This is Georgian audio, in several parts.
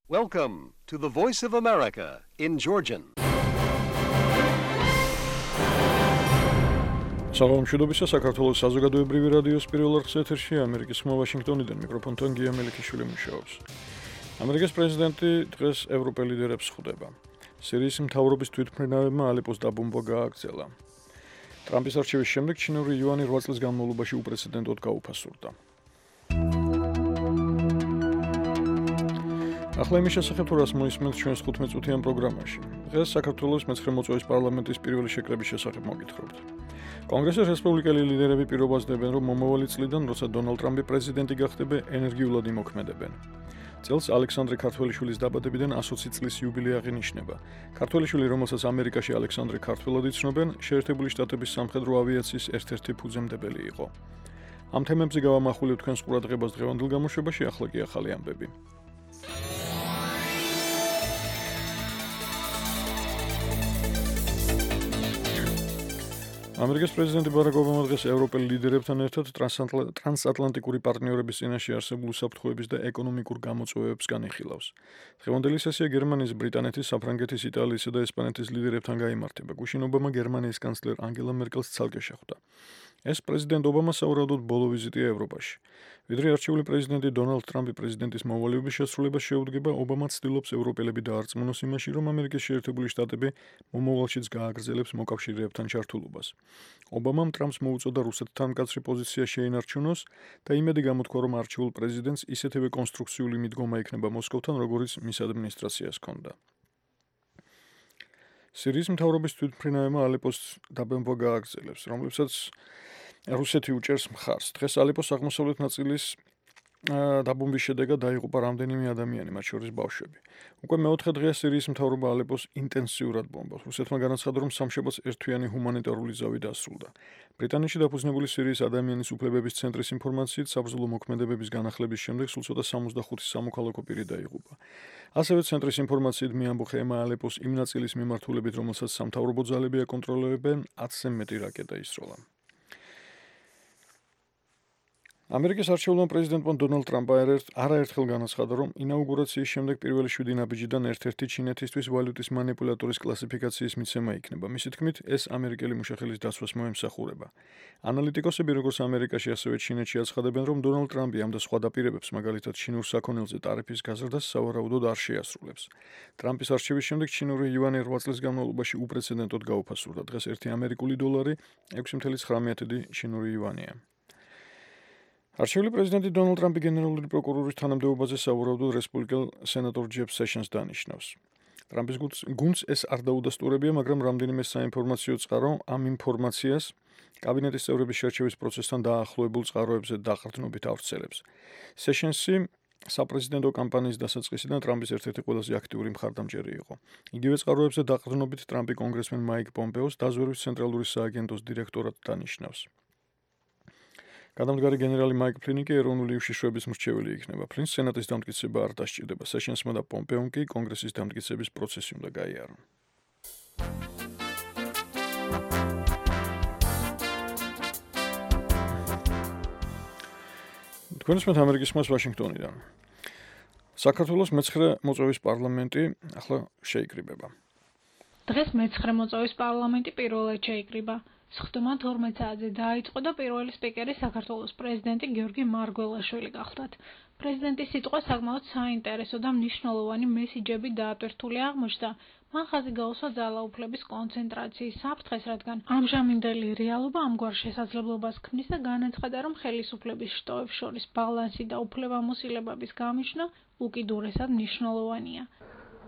Welcome to the Voice of America in Georgian. Საღამოშიდობისა საქართველოს საზოგადოებრივი რადიოს პირველ არხის ეთერში ამერიკის ხმა ვაშინგტონიდან მიკროფონთან გია მელიქიშვილი მუშაობს. ამერიკის პრეზიდენტი დღეს ევროპელ ლიდერებს ხვდება. სირიის მთავრობის თვითმფრინავებმა ალეპოს დაბომბვა გააგრძელა. ტრამპის არჩევის შემდეგ ჩინური იუანი 8 წლის განმავლობაში უპრეცედენტოდ გაუფასურდა. ახლა იმის შესახებ თუ რას მოისმენთ ჩვენს 15 წუთიან პროგრამაში. დღეს საქართველოს მე-9 მოწვევის პარლამენტის პირველი შეკრების შესახებ მოგითხრობთ. კონგრესის რესპუბლიკელი ლიდერები პირობას დებენ, რომ მომავალი წლიდან, როცა დონალდ ტრამპი პრეზიდენტი გახდება, ენერგიულად იმოქმედებენ. წელს ალექსანდრე ქართველიშვილის დაბადებიდან 120 წლის იუბილეა აღინიშნება. ქართველიშვილი, რომელსაც ამერიკაში ალექსანდრე ქართველად იცნობენ, შეერთებული შტატების სამხედრო ავიაციის ერთ-ერთი ფუძემდებელი იყო. ამ თემებზე გავამახვილებთ თქვენს ყურადღებას დღევანდელ გამოშვებაში, ახლა კი ახალი ამბები. ამერიკის პრეზიდენტი ბარაკ ობამა დღეს ევროპელ ლიდერებთან ერთად ტრანსატლანტიკური პარტნიორების წინაშე არსებულ უსაფრთხოების და ეკონომიკურ გამოწვევებს განიხილავს. დღევანდელი სესია გერმანიის, ბრიტანეთის, საფრანგეთის, იტალიისა და ესპანეთის ლიდერებთან გაიმართება. გუშინ ობამა გერმანიის კანცლერ ანგელა მერკელს ცალკე შეხვდა. ეს პრეზიდენტ ობამას სავარაუდოდ ბოლო ვიზიტია ევროპაში. ვიდრე არჩეული პრეზიდენტი დონალდ ტრამპი პრეზიდენტის მოვალეობის შესრულებას შეუდგება, ობამა ცდილობს ევროპელები დაარწმუნოს იმაში, რომ ამერიკის შეერთებული შტატები მომავალშიც გააგრძელებს მოკავშირეებთან ჩართულობას. ობამამ ტრამპს მოუწოდა რუსეთთან მკაცრი პოზიცია შეინარჩუნოს და იმედი გამოთქვა, რომ არჩეულ პრეზიდენტს ისეთივე კონსტრუქციული მიდგომა ექნება მოსკოვთან, როგორც მის ადმინისტრაციას ჰქონდა. სირიის მთავრობის თვითმფრინავებმა ალეპოს დაბომბვა გააგრძელებს, რომლებსაც რუსეთი უჭერს მხარს. დღეს ალეპოს აღმოსავლეთ ნაწილის დაბომბვის შედეგად დაიღუპა რამდენიმე ადამიანი, მათ შორის ბავშვები. უკვე მეოთხე დღეა სირიის მთავრობა ალეპოს ინტენსიურად ბომბავს. რუსეთმა განაცხადა, რომ სამშაბათს ერთთვიანი ჰუმანიტარული ზავი დასრულდა. ბრიტანეთში დაფუძნებული სირიის ადამიანის უფლებების ცენტრის ინფორმაციით, საბრძოლო მოქმედებების განახლების შემდეგ სულ ცოტა 65 სამოქალაქო პირი დაიღუპა. ასევე ცენტრის ინფორმაციით მიამბოხა ალეპოს იმ ნაწილის მიმართულებით, რომელსაც სამთავრობო ძალები აკონტროლებენ, 10-ზე მეტი რაკეტა ისროლა. ამერიკის არჩეულმა პრეზიდენტმა დონალდ ტრამპმა არაერთხელ განაცხადა, რომ ინაუგურაციის შემდეგ პირველი 7 ნაბიჯიდან ერთ-ერთი ჩინეთისთვის ვალუტის მანიპულატორის კლასიფიკაციის მიცემა იქნება. მისი თქმით, ეს ამერიკელი მუშახელის დაცვას მოემსახურება. ანალიტიკოსები, როგორც ამერიკაში, ასევე ჩინეთში აცხადებენ, რომ დონალდ ტრამპი ამ და სხვა დაპირებებს, მაგალითად ჩინურ საქონელზე ტარიფის გაზრდას, სავარაუდოდ არ შეასრულებს. ტრამპის არჩევის შემდეგ ჩინური იუანი 8 წლის განმავლობაში უპრეცედენტოდ გაუფასურდა. დღეს 1 ამერიკული დოლარი 6.9 ჩინური იუანია. არჩეული პრეზიდენტი დონალდ ტრამპი გენერალური პროკურორის თანამდებობაზე სავარაუდოდ რესპუბლიკელ სენატორ ჯეფ სეშენს დანიშნავს. ტრამპის გუნდს ეს არ დაუდასტურებია, მაგრამ რამდენიმე საინფორმაციო წყარო ამ ინფორმაციას კაბინეტის წევრების შერჩევის პროცესთან დაახლოებულ წყაროებზე დაყრდნობით ავრცელებს. სეშენსი საპრეზიდენტო კამპანიის დასაწყისიდან ტრამპის ერთ-ერთი ყველაზე აქტიური მხარდამჭერი იყო. იგივე წყაროებზე დაყრდნობით ტრამპი კონგრესმენ მაიკ პომპეოს დაზვერვის ცენტრალური სააგენტოს დირექტორად დანიშნავს. გადამდგარი გენერალი მაიკ ფლინი კი ეროვნული უშიშროების მრჩეველი იქნება. ფლინს სენატის დამტკიცება არ დასჭირდება. სეშენსმა და პომპეომ კი კონგრესის დამტკიცების პროცესი უნდა გაიარონ. თქვენ ისმენთ ამერიკის ხმას ვაშინგტონიდან. საქართველოს მე-9 მოწვევის პარლამენტი ახლა შეიკრიბება. დღეს მე-9 მოწვევის პარლამენტი პირველად შეიკრიბა. სხდომა 12 საათზე დაიწყო და პირველი სპიკერი საქართველოს პრეზიდენტი გიორგი მარგველაშვილი გახლდათ. პრეზიდენტის სიტყვა საკმაოდ საინტერესო და მნიშვნელოვანი მესიჯები დაატვირთული აღმოჩნდა. მან ხაზი გაუსვა ძალაუფლების კონცენტრაციის საფრთხეს, რადგან ამჟამინდელი რეალობა ამგვარ შესაძლებლობას ქმნის და განაცხადა, რომ ხელისუფლების შტოებს შორის ბალანსი და უფლებამოსილებების გამიჯვნა უკიდურესად მნიშვნელოვანია.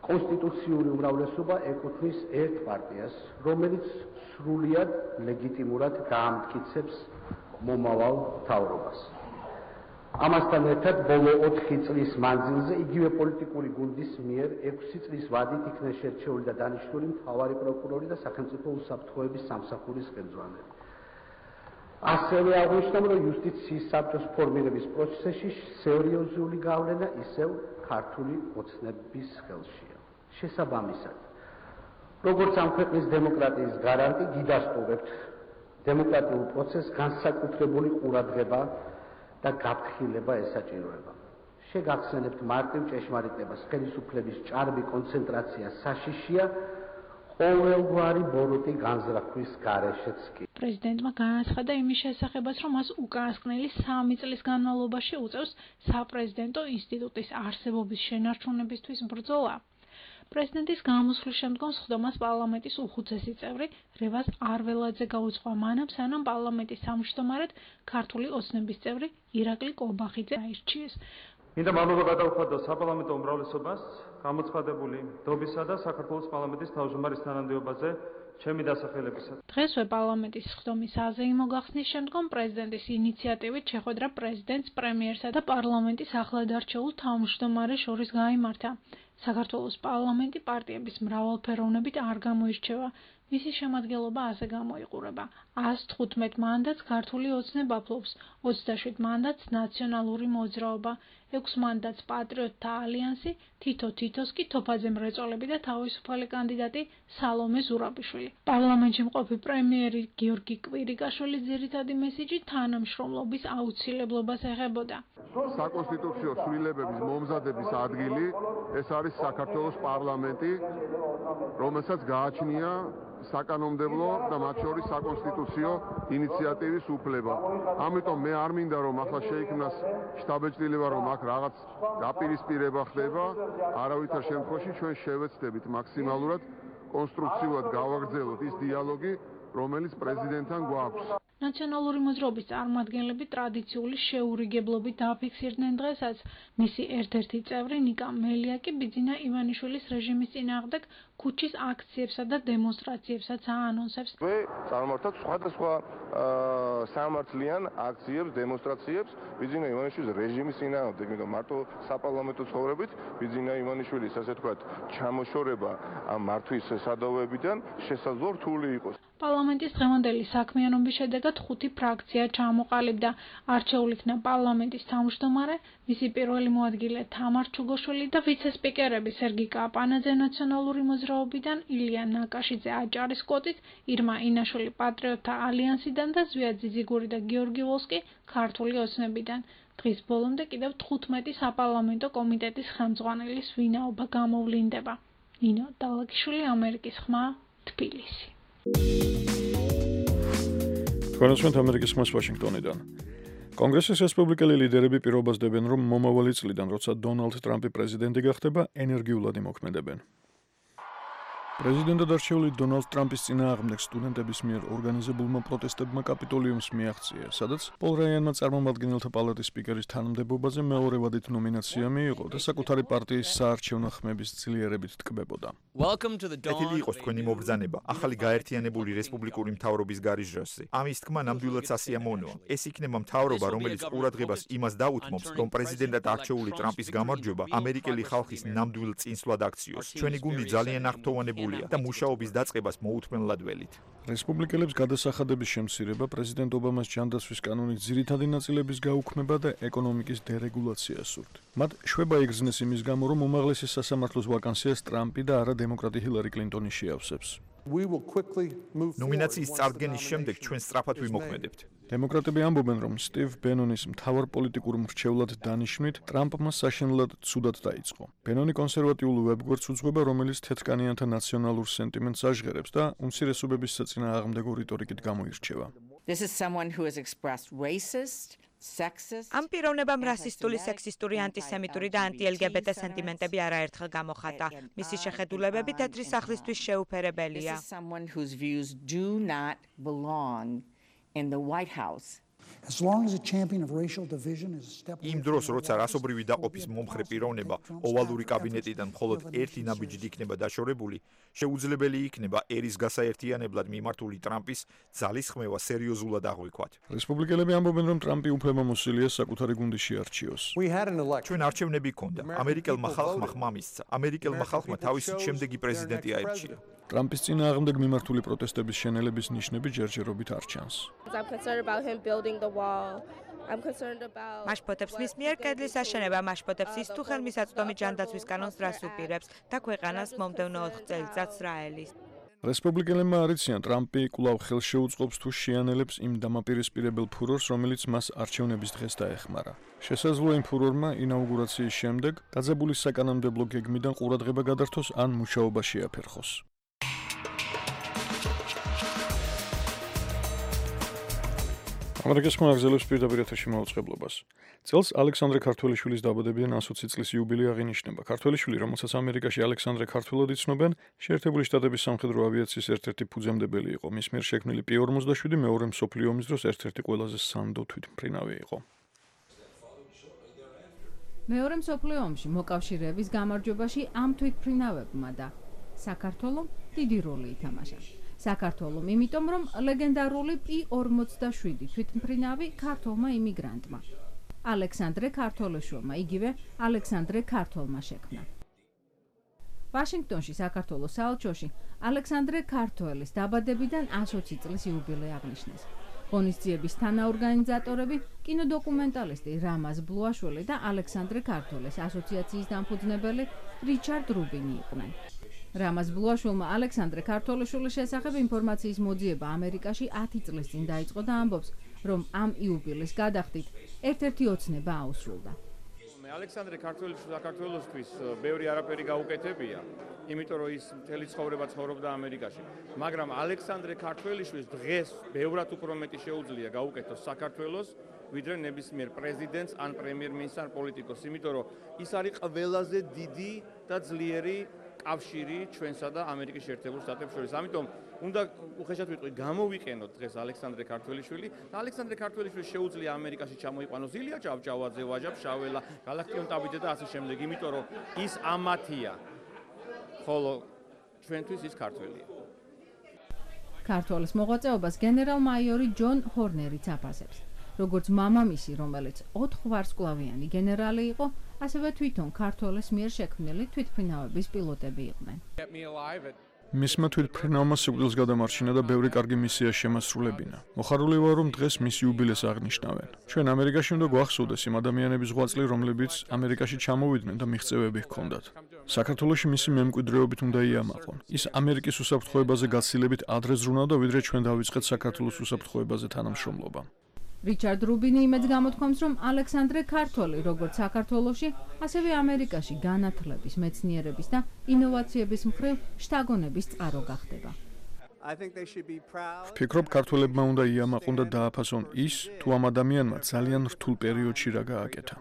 კონსტიტუციური უმრავლესობა ეკუთვნის ერთ პარტიას, რომელიც სრულიად ლეგიტიმურად გაამტკიცებს მომავალ მთავრობას. ამასთან ერთად ბოლო 4 წლის მანძილზე იგივე პოლიტიკური გუნდის მიერ 6 წლის ვადით იქნა შერჩეული და დანიშნული მთავარი პროკურორი და სახელმწიფო უსაფრთხოების სამსახურის ხელმძღვანელი. ასევე აღნიშნავ, რომ იუსტიციის საბჭოს ფორმირების პროცესში სერიოზული გავლენა ისევ ქართული ოცნების ხელშია. შესაბამისად, როგორც ამ ქვეყნის დემოკრატიის გარანტი, გიდასტურებთ დემოკრატიულ პროცესს განსაკუთრებული ყურადღება და გაფრთხილება ესაჭიროება. შეგახსენებთ მარტივ ჭეშმარიტებას, ხელისუფლების ჭარბი კონცენტრაცია საშიშია ყოველგვარი ბოროტი განზრახვის გარეშეც კი. პრეზიდენტმა განაცხადა იმის შესახებაც, რომ მას უკანასკნელი 3 წლის განმავლობაში უწევს საპრეზიდენტო ინსტიტუტის არსებობის შენარჩუნებისთვის ბრძოლა. პრეზიდენტის გამოსვლის შემდგომ სხდომას პარლამენტის უხუცესი წევრი რევაზ არველაძე გაუძღვა მანამ, სანამ პარლამენტის თავმჯდომარედ ქართული ოცნების წევრი ირაკლი კობახიძე აირჩიეს. მინდა მადლობა გადავხადო საპარლამენტო უმრავლესობას გამოცხადებული დობისა და საქართველოს პარლამენტის თავმჯდომარის თანამდებობაზე ჩემი დასახელებისას. დღესვე პარლამენტის სხდომის აზეიმო გახსნის შემდგომ პრეზიდენტის ინიციატივით შეხვედრა პრეზიდენტს, პრემიერსა და პარლამენტის ახლად არჩეულ თავმჯდომარეს შორის გაიმართა. საქართველოს პარლამენტი პარტიების მრავალფეროვნებით არ გამოირჩევა. მისი შემადგენლობა ასე გამოიყურება: 115 მანდატს ქართული ოცნება ფლობს, 27 მანდატს ნაციონალური მოძრაობა, 6 მანდატს პატრიოტთა ალიანსი, თითო-თითოს კი თოფაძე მრეწველები და თავისუფალი კანდიდატი სალომე ზურაბიშვილი. პარლამენტში მყოფი პრემიერი გიორგი კვირიკაშვილის ძირითადი მესიჯი თანამშრომლობის აუცილებლობას ეხებოდა. საკონსტიტუციო ცვლილებების მომზადების ადგილი ეს არის საქართველოს პარლამენტი, რომელსაც გააჩნია საკანონმდებლო და მათ შორის საკონსტიტუციო ინიციატივის უფლება. ამიტომ მე არ მინდა რომ ახლა შეიქმნას შთაბეჭდილება რომ აქ რაღაც დაპირისპირება ხდება, არავითარ შემთხვევაში ჩვენ შევეცდებით მაქსიმალურად კონსტრუქციულად გავაგრძელოთ ის დიალოგი, რომელიც პრეზიდენტთან გვაქვს. ნაციონალური მოძრაობის წარმომადგენლები ტრადიციული შეურიგებლობით დააფიქსირდნენ დღესაც. მისი ერთ-ერთი წევრი ნიკა მელიაკი ბიძინა ივანიშვილის რეჟიმის წინააღმდეგ ქუჩის აქციებსა და დემონსტრაციებსაც აანონსებს. წარმართად სხვადასხვა სამართლიან აქციებს, დემონსტრაციებს ბიძინა ივანიშვილის რეჟიმის წინააღმდეგ, იმიტომ მარტო საპარლამენტო ცხოვრებით ბიძინა ივანიშვილის ასე თქვათ ჩამოშორება ამ მართვის სადავოებიდან შესაძლოა რთული იყოს. პარლამენტის დღევანდელი საქმიანობის შედეგად 5 ფრაქცია ჩამოყალიბდა. არჩეულ იქნა პარლამენტის თავმჯდომარე, მისი პირველი მოადგილე თამარ ჩუგოშვილი და ვიცე-სპიკერები სერგი კაპანაძე ნაციონალური მოძრაობიდან, ილია ნაკაშიძე აჭარის კვოტით, ირმა ინაშვილი პატრიოტთა ალიანსიდან და ზვია ძიძიგური და გიორგი ვოლსკი ქართული ოცნებიდან. დღის ბოლომდე კიდევ 15 საპარლამენტო კომიტეტის ხელმძღვანელის ვინაობა გამოვლინდება. ნინო დალაგიშვილი, ამერიკის ხმა, თბილისი. თქვენოსვენთ ამერიკის ხმას ვაშინგტონიდან. კონგრესის რესპუბლიკელი ლიდერები პირობას დებენ, რომ მომავალი წლიდან, როცა დონალდ ტრამპი პრეზიდენტი გახდება, ენერგიულად იმოქმედებენ. პრეზიდენტად არჩეული დონალდ ტრამპის წინააღმდეგ სტუდენტების მიერ ორგანიზებულმა პროტესტებმა კაპიტოლიუმს მიაღწია, სადაც პოლ რაიანმა წარმომადგენელთა პალატის სპიკერის თანამდებობაზე მეორე ვადით ნომინაცია მიიღო და საკუთარი პარტიის საარჩევნო ხმების ძლიერებით ტკბებოდა. ეთილი იყოს თქვენი მობრძანება ახალი გაერთიანებული რესპუბლიკური მთავრობის გარიჟრასზე. ამის თქმა ნამდვილად სასიამოვნოა. ეს იქნება მთავრობა, რომელიც ყურადღებას იმას დაუთმობს, რომ პრეზიდენტად არჩეული ტრამპის გამარჯვება ამერიკელი ხალხის ნამდვილ წინსვლად აქციოს. ჩვენი გუნდი ძალიან აღფრთოვანებულია და მუშაობის დაწყებას მოუთმენლად ველით. რესპუბლიკელებს გადასახადების შემცირება, პრეზიდენტ ობამას ჯანდაცვის კანონის ძირითადი ნაწილების გაუქმება და ეკონომიკის დერეგულაცია სურთ. მათ შვება იგრძნეს იმის გამო, რომ უმაღლესი სასამართლოს ვაკანსიას ტრამპი და არა დემოკრატი ჰილარი კლინტონი შეავსებს. ნომინაციის წარდგენის შემდეგ ჩვენ სწრაფად ვიმოქმედებთ. დემოკრატები ამბობენ, რომ სტივ ბენონის მთავარ პოლიტიკურ მრჩევლად დანიშვნით ტრამპმა საშინლად ცუდად დაიწყო. ბენონი კონსერვატიულ ვებგვერდს უძღვება, რომელიც თეთრკანიანთა ნაციონალურ სენტიმენტს აჟღერებს და უმცირესობების საწინააღმდეგო რიტორიკით გამოირჩევა. ამ პიროვნებამ რასისტული, სექსისტური, ანტისემიტური და ანტი-LGBT სენტიმენტები არაერთხელ გამოხატა. მისი შეხედულებები თეთრი სახლისთვის შეუფერებელია. იმ დროს, როცა რასობრივი დაყოფის მომხრე პიროვნება ოვალური კაბინეტიდან მხოლოდ ერთი ნაბიჯით იქნება დაშორებული, შეუძლებელი იქნება ერის გასაერთიანებლად მიმართული ტრამპის ძალისხმევა სერიოზულად აღვიქვათ. რესპუბლიკელები ამბობენ, რომ ტრამპი უფლებამოსილია საკუთარი გუნდის შეარჩიოს. ჩვენ არჩევნები გქონდა. ამერიკელმა ხალხმა ხმა მისცა. ამერიკელმა ხალხმა თავისი შემდეგი პრეზიდენტი აირჩია. ტრამპის წინააღმდეგ მიმართული პროტესტების შენელების ნიშნები ჯერჯერობით არ ჩანს. მაშპოტებს მის მიერ კედლის აშენება, მაშპოტებს ის თუ ხელმისაწვდომი ჯანდაცვის კანონს რას უპირებს და ქვეყანას მომდევნო 4 წელიწადს რა ელის. რესპუბლიკელებმა არიციან, ტრამპი კვლავ ხელს შეუწყობს თუ შეანელებს იმ დამაპირისპირებელ ფურორს, რომელიც მას არჩევნების დღეს დაეხმარა. შესაძლოა იმ ფურორმა ინაუგურაციის შემდეგ დაძაბული საკანონმდებლო გეგმიდან ყურადღება გადართოს ან მუშაობა შეაფერხოს. ამერიკის ხმა აგზელებს პირდაპირ ეთერში მაუწყებლობას. წელს ალექსანდრე ქართველიშვილის დაბადებიდან 120 წლის იუბილე აღინიშნება. ქართველიშვილი, რომელსაც ამერიკაში ალექსანდრე ქართველად იცნობენ, შეერთებული შტატების სამხედრო ავიაციის ერთ-ერთი ფუძემდებელი იყო. მის მიერ შექმნილი P-47 მეორე მსოფლიო ომის დროს ერთ-ერთი ყველაზე სანდო თვითმფრინავი იყო. მეორე მსოფლიო ომში მოკავშირეების გამარჯვებაში ამ თვითმფრინავებმა და საქართველომ დიდი როლი ითამაშა. საქართველომ, იმიტომ რომ ლეგენდარული P-47 თვითმფრინავი ქართველმა იმიგრანტმა ალექსანდრე ქართველიშვილმა, იგივე ალექსანდრე ქართველმა შექმნა. ვაშინგტონში, საქართველოს საელჩოში ალექსანდრე ქართველის დაბადებიდან 120 წლის იუბილე აღნიშნეს. ღონისძიების თანაორგანიზატორები კინოდოკუმენტალისტი რამაზ ბლუაშვილი და ალექსანდრე ქართველის ასოციაციის დამფუძნებელი რიჩარდ რუბინი იყვნენ. რამაზ ბლუაშვილმა ალექსანდრე ქართველიშვილის შესახებ ინფორმაციის მოძიება ამერიკაში 10 წლის წინ დაიწყო და ამბობს, რომ ამ იუბილეს გადახდით ერთ-ერთი ოცნება აუსრულდა. ალექსანდრე ქართველიშვილს საქართველოსთვის ბევრი არაფერი გაუკეთებია, იმიტომ რომ ის მთელი ცხოვრება ცხოვრობდა ამერიკაში. მაგრამ ალექსანდრე ქართველიშვილს დღეს ბევრად უფრო მეტი შეუძლია გაუკეთოს საქართველოს, ვიდრე ნებისმიერ პრეზიდენტს ან პრემიერ-მინისტრს ან პოლიტიკოსს, იმიტომ რომ ის არის ყველაზე დიდი და ძლიერი კავშირი ჩვენსა და ამერიკის შეერთებულ შტატებს შორის. ამიტომ უნდა უხეშად ვიტყვი, გამოვიყენოთ დღეს ალექსანდრე ქართველიშვილი და ალექსანდრე ქართველიშვილს შეუძლია ამერიკაში ჩამოიყვანოს ილია ჭავჭავაძე, ვაჟა ფშაველა, გალაქტიონ ტაბიძე და ასე შემდეგ, იმიტომ რომ ის ამათია, ხოლო ჩვენთვის ის ქართველია. ქართველის მოღვაწეობას გენერალ-მაიორი ჯონ ჰორნერიც აფასებს. როგორც მამამისი, რომელიც 4 ვარსკვლავიანი გენერალი იყო, ასევე თვითონ ქართველის მიერ შექმნილი თვითმფრინავების პილოტები იყვნენ. მისმა თვითმფრინავმა სიკვდილს გადამარჩინა და ბევრი კარგი მისია შემასრულებინა. მოხარული ვარ, რომ დღეს მის იუბილეს აღნიშნავენ. ჩვენ ამერიკაში უნდა გვახსოვდეს იმ ადამიანების ღვაწლი, რომლებიც ამერიკაში ჩამოვიდნენ და მიღწევები ჰქონდათ. საქართველოში მისი მემკვიდრეობით უნდა იამაყონ. ის ამერიკის უსაფრთხოებაზე გაცილებით ადრე ზრუნავდა, ვიდრე ჩვენ დავიწყეთ საქართველოს უსაფრთხოებაზე თანამშრომლობა. რიჩარდ რუბინი იმედს გამოთქვამს, რომ ალექსანდრე ქართველი, როგორც საქართველოში, ასევე ამერიკაში განათლების, მეცნიერების და ინოვაციების მხრივ შთაგონების წყარო გახდება. ვფიქრობ, ქართველებმა უნდა იამაყონ და დააფასონ ის, თუ ამ ადამიანმა ძალიან რთულ პერიოდში რა გააკეთა.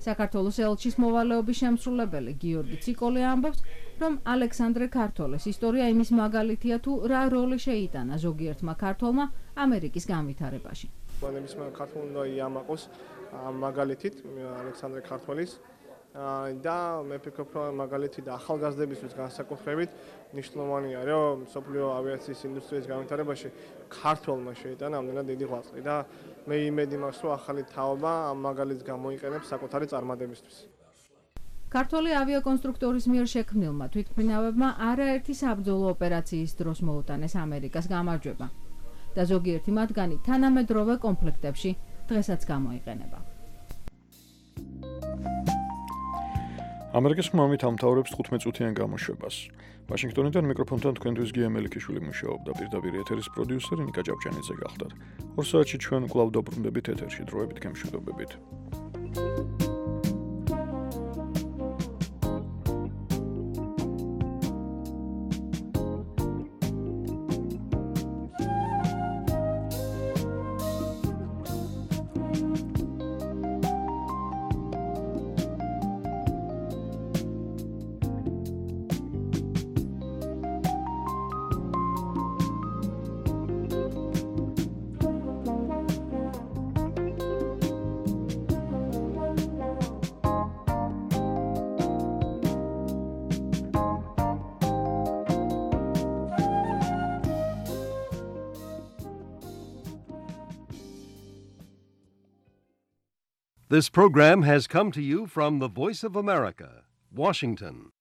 საქართველოს ელჩის მოვალეობის შემსრულებელი გიორგი ციკოლე ამბობს, რომ ალექსანდრე ქართველის ისტორია იმის მაგალითია, თუ რა როლი შეიტანა ზოგიერთმა ქართველმა ამერიკის განვითარებაში. ნებისმიერ ქართველ უნდა იამაყოს ამ მაგალითით ალექსანდრე ქართველის და მე ვფიქრობ, რომ მაგალითი და ახალგაზრდებისთვის განსაკუთრებით მნიშვნელოვანია, რომ მსოფლიო ავიაციის ინდუსტრიის განვითარებაში ქართველმა შეიტანა ამდენად დიდი ღვაწლი და მე იმედი მაქვს, რომ ახალი თაობა ამ მაგალითს გამოიყენებს საკუთარი წარმატებისთვის. ქართველი ავიაკონსტრუქტორის მიერ შექმნილმა თვითმფრინავებმა არაერთი საბრძოლო ოპერაციის დროს მოუტანეს ამერიკას გამარჯვება და ზოგიერთი მათგანი თანამედროვე კონფლიქტებში დღესაც გამოიყენება. ამერიკის ხმამით ამთავრებს 15 წუთიან გამოშვებას. ვაშინგტონიდან მიკროფონთან თქვენთვის გია მელიქიშვილი მუშაობდა, პირდაპირ ეთერის პროდიუსერი ნიკა ჭავჭანიძე გახდათ. 2 საათში ჩვენ კვლავ დაბრუნდებით ეთერში, დროებით გემშვიდობებით. This program has come to you from the Voice of America, Washington.